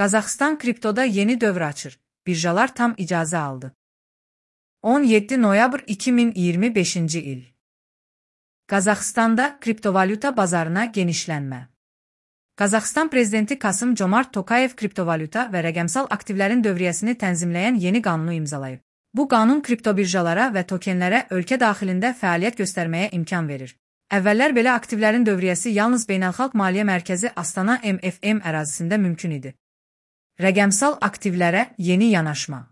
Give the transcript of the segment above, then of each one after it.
Qazaxıstan kriptoda yeni dövr açır. Birjalar tam icazə aldı. 17 noyabr 2025-ci il. Qazaxıstanda kriptovalyuta bazarına genişlənmə. Qazaxıstan prezidenti Kasım-Comart Tokayev kriptovalyuta və rəqəmsal aktivlərin dövriyyəsini tənzimləyən yeni qanunu imzalayıb. Bu qanun kriptobirjalara və tokenlərə ölkə daxilində fəaliyyət göstərməyə imkan verir. Əvvəllər belə aktivlərin dövriyyəsi yalnız Beynəlxalq Maliyyə Mərkəzi Astana MFM ərazisində mümkün idi. Rəqəmsal aktivlərə yeni yanaşma.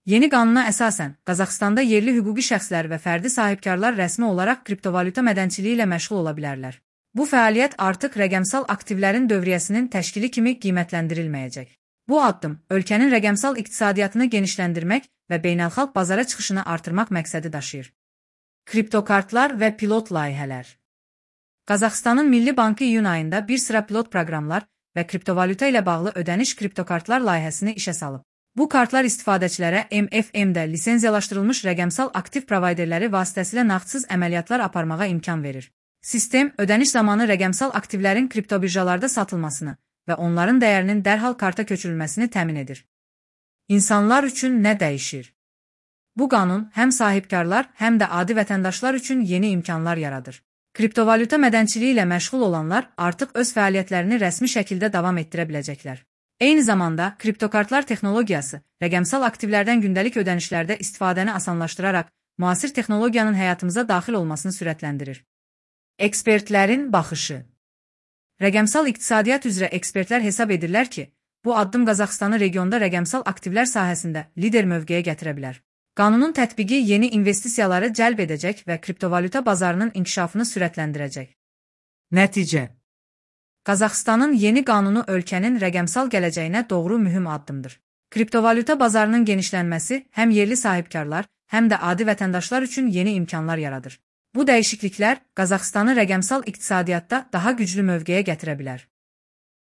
Yeni qanuna əsasən, Qazaxıstanda yerli hüquqi şəxslər və fərdi sahibkarlar rəsmi olaraq kriptovalyuta mədənçiliyi ilə məşğul ola bilərlər. Bu fəaliyyət artıq rəqəmsal aktivlərin dövriyyəsinin təşkili kimi qiymətləndirilməyəcək. Bu addım, ölkənin rəqəmsal iqtisadiyyatını genişləndirmək və beynəlxalq bazara çıxışını artırmaq məqsədi daşıyır. Kriptokartlar və pilot layihələr. Qazaxıstanın Milli Bankı iyun ayında bir sıra pilot proqramlar və kriptovalyuta ilə bağlı ödəniş kriptokartlar layihəsini işə salıb. Bu kartlar istifadəçilərə MFM-də lisenziyalaşdırılmış rəqəmsal aktiv provayderləri vasitəsilə nağdsız əməliyyatlar aparmağa imkan verir. Sistem, ödəniş zamanı rəqəmsal aktivlərin kriptobirjalarda satılmasını və onların dəyərinin dərhal karta köçürülməsini təmin edir. İnsanlar üçün nə dəyişir? Bu qanun həm sahibkarlar, həm də adi vətəndaşlar üçün yeni imkanlar yaradır. Kriptovalyuta mədənçiliyi ilə məşğul olanlar artıq öz fəaliyyətlərini rəsmi şəkildə davam etdirə biləcəklər. Eyni zamanda, kriptokartlar texnologiyası, rəqəmsal aktivlərdən gündəlik ödənişlərdə istifadəni asanlaşdıraraq, müasir texnologiyanın həyatımıza daxil olmasını sürətləndirir. Ekspertlərin baxışı. Rəqəmsal iqtisadiyyat üzrə ekspertlər hesab edirlər ki, bu addım Qazaxıstanı regionda rəqəmsal aktivlər sahəsində lider mövqeyə gətirə bilər. Qanunun tətbiqi yeni investisiyaları cəlb edəcək və kriptovalyuta bazarının inkişafını sürətləndirəcək. Nəticə. Qazaxıstanın yeni qanunu ölkənin rəqəmsal gələcəyinə doğru mühüm addımdır. Kriptovalyuta bazarının genişlənməsi həm yerli sahibkarlar, həm də adi vətəndaşlar üçün yeni imkanlar yaradır. Bu dəyişikliklər Qazaxıstanı rəqəmsal iqtisadiyyatda daha güclü mövqeyə gətirə bilər.